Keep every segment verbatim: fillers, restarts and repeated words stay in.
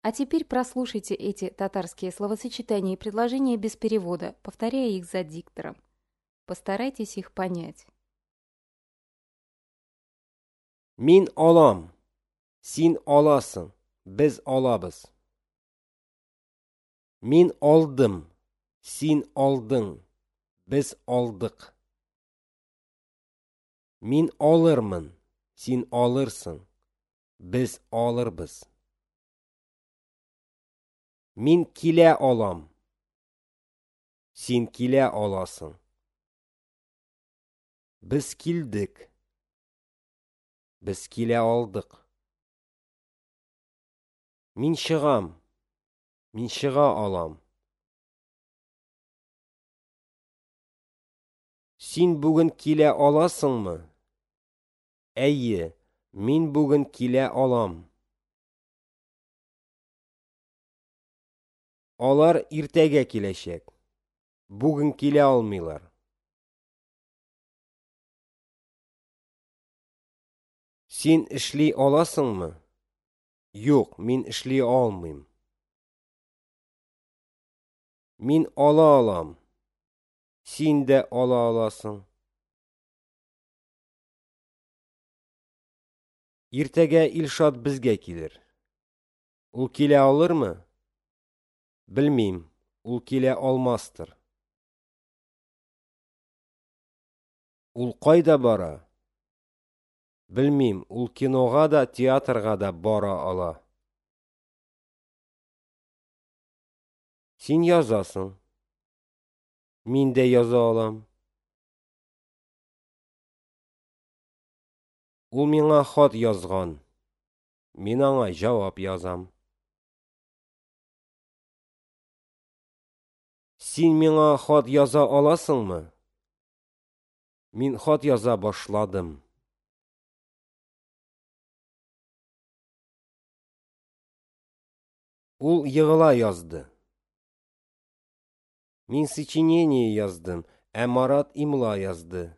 А теперь прослушайте эти татарские словосочетания и предложения без перевода, повторяя их за диктором. Постарайтесь их понять. Мин алам. Син аласың. Без алабыз. Мин алдым. Син алдың. Без алдык. Мин алырмын. Син алырсың. Без алырбыз. Мин килә алам. Син килә аласың. Без килдек. Без килә алдык. Мин чыгам. Мин чыга алам. Син бүген килә аласыңмы? Әйе, мин бүген килә алам. Алар иртәгә киләчәк. Бүген килә алмыйлар. Син эшли аласыңмы? Юк, мин эшли алмыйм. Мин ала алам. Син дә ала аласың. Иртәгә Илшат безгә килер. Ул килә алырмы? Белмим, ул килә алмастыр. Ул кайда бара? Белмим, ул кинога да, театрга да бара ала. Син язасың. Мин дә яза алам. Ул миңа хат язган. Мин аңа җавап язам. Син миңа хат яза аласыңмы? Мин хат яза башладым. Ул егыла язды. Мин сочинение яздым, ә Марат имла язды.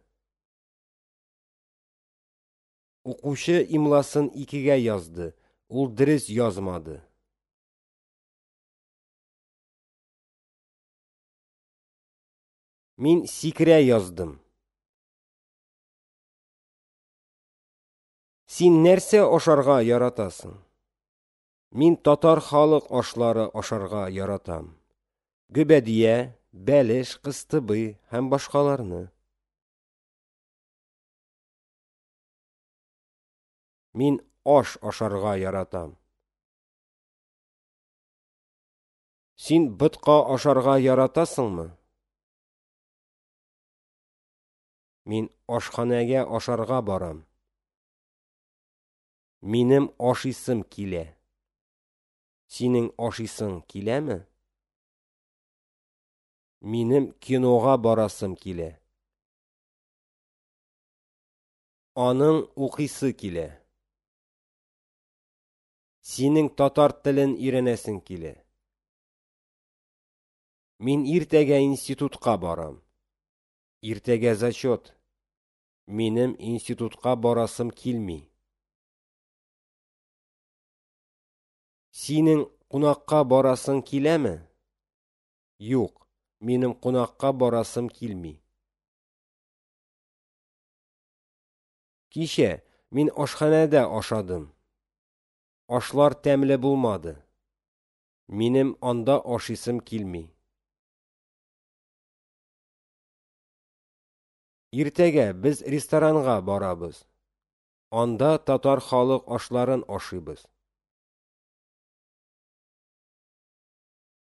Укучы имласын икегә язды, ул дөрес язмады. Мин сикерә яздым. Син нәрсә ашарга яратасың? Мин татар халык ашлары ашарга яратам. Гөбәдия, бәлеш, кыстыбый һәм башкаларны. Мин аш ашарга яратам. Син ботка ашарга яратасыңмы? Мин ашханәгә ашарга барам. Минем ашыйсым килә. Синең ашыйсың киләме? Минем кинога барасым килә. Аның укыйсы килә. Синең татар телен өйрәнәсең килә. Мин иртәгә институтка барам. Иртәгә зачет. Минем институтка барасым килми. Синең кунакка барасың киләме? Юк, минем кунакка барасым килми. Кичә мин ашханәдә ашадым. Ашлар тәмле булмады. Минем анда ашыйсым килми. Иртәгә без ресторанга барабыз. Анда татар халык ашларын ашыйбыз.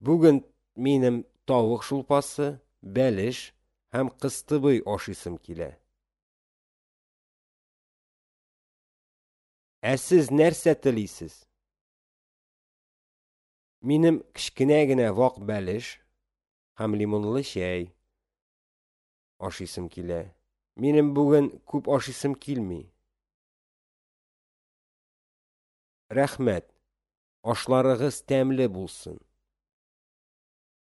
Бүген минем тавык шулпасы, бәлеш һәм кыстыбый ашыйсым килә. Ә сез нәрсә телисез? Минем кечкенә генә вак бәлеш һәм лимонлы чәй ашыйсым килә. Минем бүген күп ашыйсым килми. Рәхмәт. Ашларыгыз тәмле булсын.